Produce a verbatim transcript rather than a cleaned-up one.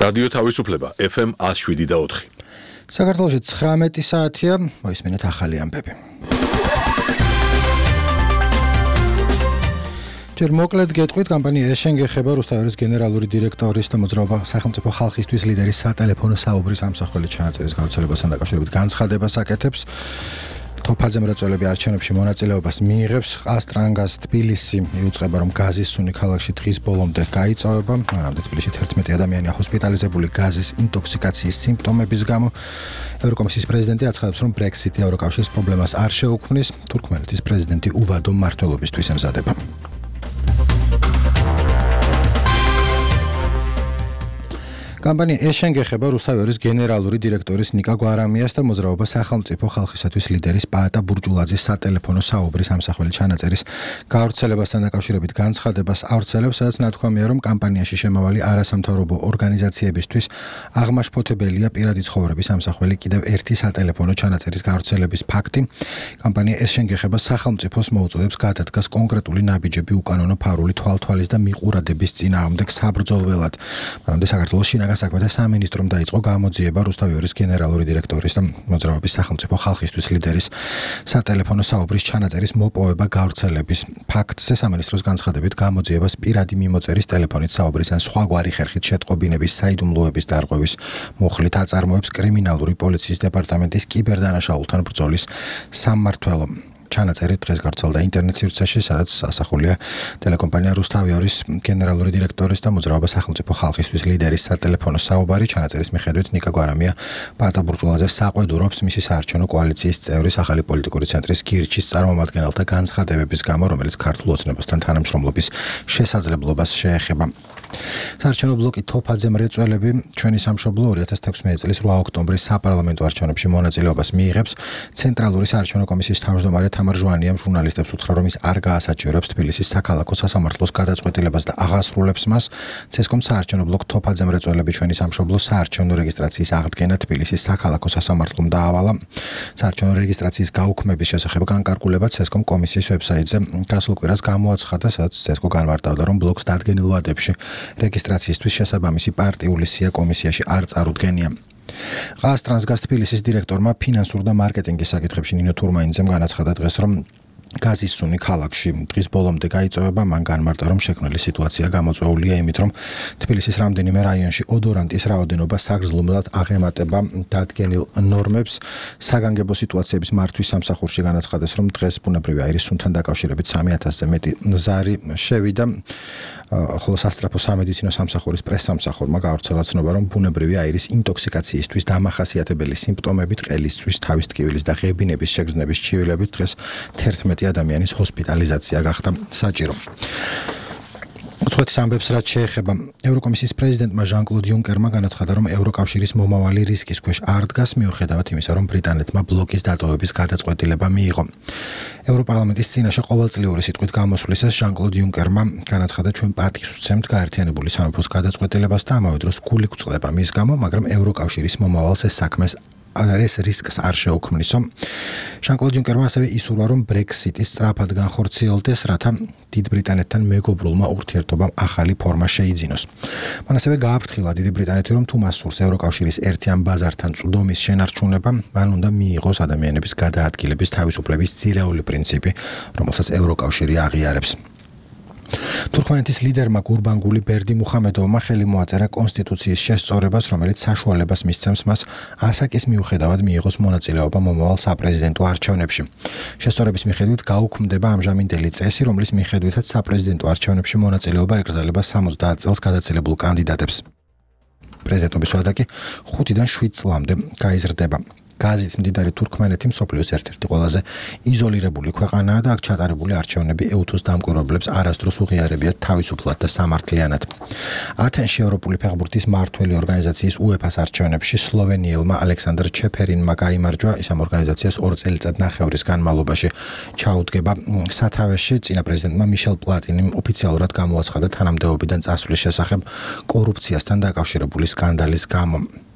რადიო თავისუფლება ეფ ემ ათს შვიდი და ოთხი. საქართველოში ცხრამეტი საათია, მოისმინეთ ახალი ამბები. ჯერ მოკლედ გეტყვით, კომპანია ეშენ გეხება რუსთავის გენერალური დირექტორის და მოძრაობა სახელმწიფო ხალხისთვის ლიდერის სატელეფონო საუბრის ამსახველი ჩანაწერის გავრცელებასთან დაკავშირებით განცხადებას აკეთებს. თოფაძე მრეწველები არჩევნებში მონაწილეობას მიიღებს. ყაზტრანგას თბილისი იუწყება, რომ გაზის სუნი ქალაქში დღის ბოლომდე გაიწოვება. მანამდე თბილისში თერთმეტი ადამიანია ჰოსპიტალიზებული გაზის ინტოქსიკაციის სიმპტომების გამო. ევროკომისიის პრეზიდენტი აცხადებს, რომ ბრექსიტი ევროკავშირის პრობლემას არ შეუქმნის. თურქმენეთის პრეზიდენტი უვადო მმართველობისთვის ემზადება. კომპანია ეშენ გეხება რუსთავის გენერალური დირექტორის ნიკა გვარამიას და მოძრაობა სახელმწიფო ხალხისათვის ლიდერის პაატა ბურჯულაძის სატელეფონო საუბრის ამსახველი ჩანაწერის გავრცელებასთან დაკავშირებით განცხადებას ავრცელებს, სადაც ნათქვამია, რომ კომპანიაში შემავალი არასამთავრობო ორგანიზაციებისთვის აღმაშფოთებელია პირადი ცხოვრების ამსახველი კიდევ ერთი სატელეფონო ჩანაწერის გავრცელების ფაქტი. კომპანია ეშენ გეხება სახელმწიფოს მოუწოდებს გადადგას კონკრეტული ნაბიჯები უკანონო ფარული თვალთვალის და მიყურადების წინააღმდეგ საბრძოლველად. მანამდე საქართველოს შინაგან საქმეთა სამინისტრომ დაიწყო გამოძიება რუსთავის გენერალური დირექტორის და მოძრაობის სახელმწიფო ხალხისთვის ლიდერის სატელეფონო საუბრის ჩანაწერის მოპოვება გავრცელების ფაქტზე. სამინისტროს განცხადებით გამოძიებას პირადი მიმოწერის ტელეფონით საუბრის ან სხვაგვარი ხერხით შეტყობინების საიდუმლოების დარღვევის მუხლით აწარმოებს კრიმინალური პოლიციის დეპარტამენტის კიბერდანაშაულთან ბრძოლის სამმართველო. ჩანაწერი დღეს გავრცელდა ინტერნეტ სივრცეში, სადაც ასახულია ტელეკომპანია რუსთავის გენერალური დირექტორის და მოძრაობა სახელმწიფო ხალხისთვის ლიდერის სატელეფონო საუბარი. ჩანაწერის მიხედვით ნიკა გვარამია პაატა ბურჯულაძეს საყვედურობს მისი საარჩევნო კოალიციის წევრის ახალი პოლიტიკური ცენტრის გირჩის წარმომადგენელთა განცხადებების გამო, რომელიც ქართულ ოცნებასთან თანამშრომლობის შესაძლებლობას შეეხება. საარჩევნო ბლოკი თოფაძე მრეწველები ჩვენი სამშობლო ორი ათას თექვსმეტი წლის რვა ოქტომბრის საპარლამენტო არჩევნებში მონაწილეობას მიიღებს. ცენტრალური საარჩევნო კომისიის თავმჯდომარე თამარ ჟვანიამ ჟურნალისტებს უთხრა, რომ ის არ გაასაჩივრებს თბილისის საქალაქო სასამართლოს გადაწყვეტილებას და აღასრულებს მას. ცესკომ საარჩევნო ბლოკ თოფაძე მრეწველები ჩვენი სამშობლო საარჩევნო რეგისტრაციის აღდგენა თბილისის საქალაქო სასამართლომ დაავალა. საარჩევნო რეგისტრაციის გაუქმების შესახებ განკარგულება ცესკომ კომისიის ვებსაიტზე გასულ კვირას გამოაცხადა, სადაც ცესკო განმარტავდა, რომ ბლოკს დადგენილ ვადებში რეგისტრაციისთვის შესაბამისი პარტიული სია კომისიაში არ წარუდგენია. ყაზტრანგას თბილისის დირექტორმა ფინანსურ და მარკეტინგის საკითხებში ნინო თურმაინძემ განაცხადა დღეს, რომ გაზის სუნი ქალაქში დღის ბოლომდე გაიწოვება. მან განმარტა, რომ შექმნილი სიტუაცია გამოწვეულია იმით, რომ თბილისის რამდენიმე რაიონში ოდორანტის რაოდენობა საგრძნობლად აღემატება დადგენილ ნორმებს. საგანგებო სიტუაციების მართვის სამსახურში განაცხადეს, რომ დღეს ბუნებრივი აირის სუნთან დაკავშირებით სამი ათასზე მეტი ზარი შევიდა. ხოლო სასწრაფო სამედიცინო სამსახურის პრესსამსახურმა გავრცელა ცნობა, რომ ბუნებრივი აირის ინტოქსიკაციისთვის დამახასიათებელი სიმპტომებით ყელისთვის, თავის ტკივილის და ღებინების შეგრძნების ჩივილებით დღეს თერთმეტი ადამიანის ჰოსპიტალიზაცია გახდა საჭირო. უცხოეთის ამბებს რაც შეეხება, ევროკომისიის პრეზიდენტმა ჟან-კლოდ იუნკერმა განაცხადა, რომ ევროკავშირის მომავალი რისკის ქვეშ არ დგას, მიუხედავად იმისა, რომ ბრიტანეთმა ბლოკის დატოვების გადაწყვეტილება მიიღო. ევროპარლამენტის წინაშე ყოველწლიური სიტყვით გამოსვლისას ჟან-კლოდ იუნკერმა განაცხადა, ჩვენ პატივს ვცემთ გაერთიანებული სამეფოს გადაწყვეტილებას და ამავე დროს გული გვწყდება მის გამო, მაგრამ ევროკავშირის მომავალს ეს საქმეს ეს რისკს არ შეუქმნისო. ჟან-კლოდ იუნკერმა ასევე ისურვა, რომ ბრექსიტი სწრაფად განხორციელდეს, რათა დიდ ბრიტანეთთან მეგობრულმა ურთიერთობამ ახალი ფორმა შეიძინოს. მან ასევე გააფრთხილა დიდი ბრიტანეთი, რომ თუ მას სურს ევროკავშირის ერთიან ბაზართან წვდომის შენარჩუნება, მან უნდა მიიღოს ადამიანების გადაადგილების თავისუფლების ძირეული პრინციპი, რომელსაც ევროკავშირი აღიარებს. თურქმენეთის ლიდერმა გურბანგული ბერდი მუხამედოვმა ხელი მოაწერა კონსტიტუციის შესწორებას, რომელიც საშუალებას მისცემს მას ასაკის მიუხედავად მიიღოს მონაწილეობა მომავალ საპრეზიდენტო არჩევნებში. შესწორების მიხედვით გაუქმდება ამჟამინდელი წესი, რომლის მიხედვითაც საპრეზიდენტო არჩევნებში მონაწილეობა ეკრძალება სამოცდაათ წელს გადაცილებულ კანდიდატებს. პრეზიდენტობის ვადა კი ხუთიდან შვიდ წლამდე გაიზრდება. გაზით მდიდარი თურქმენეთი მსოფლიოს ერთ-ერთი ყველაზე იზოლირებული ქვეყანაა და აქ ჩატარებული არჩევნები ეუთოს დამკვირვებლებს არასდროს უღიარებიათ თავისუფლად და სამართლიანად. ათენში ევროპული ფეხბურთის მმართველი ორგანიზაციის უეფას არჩევნებში სლოვენიელმა ალექსანდრ ჩეფერინმა გაიმარჯვა. ის ამ ორგანიზაციას ორ წელიწადნახევრის განმავლობაში ჩაუდგება სათავეში. წინა პრეზიდენტმა მიშელ პლატინიმ ოფიციალურად გამოაცხადა თანამდებობიდან წასვლის შესახებ კორუფციასთან დაკავშირებული სკანდალის გამო.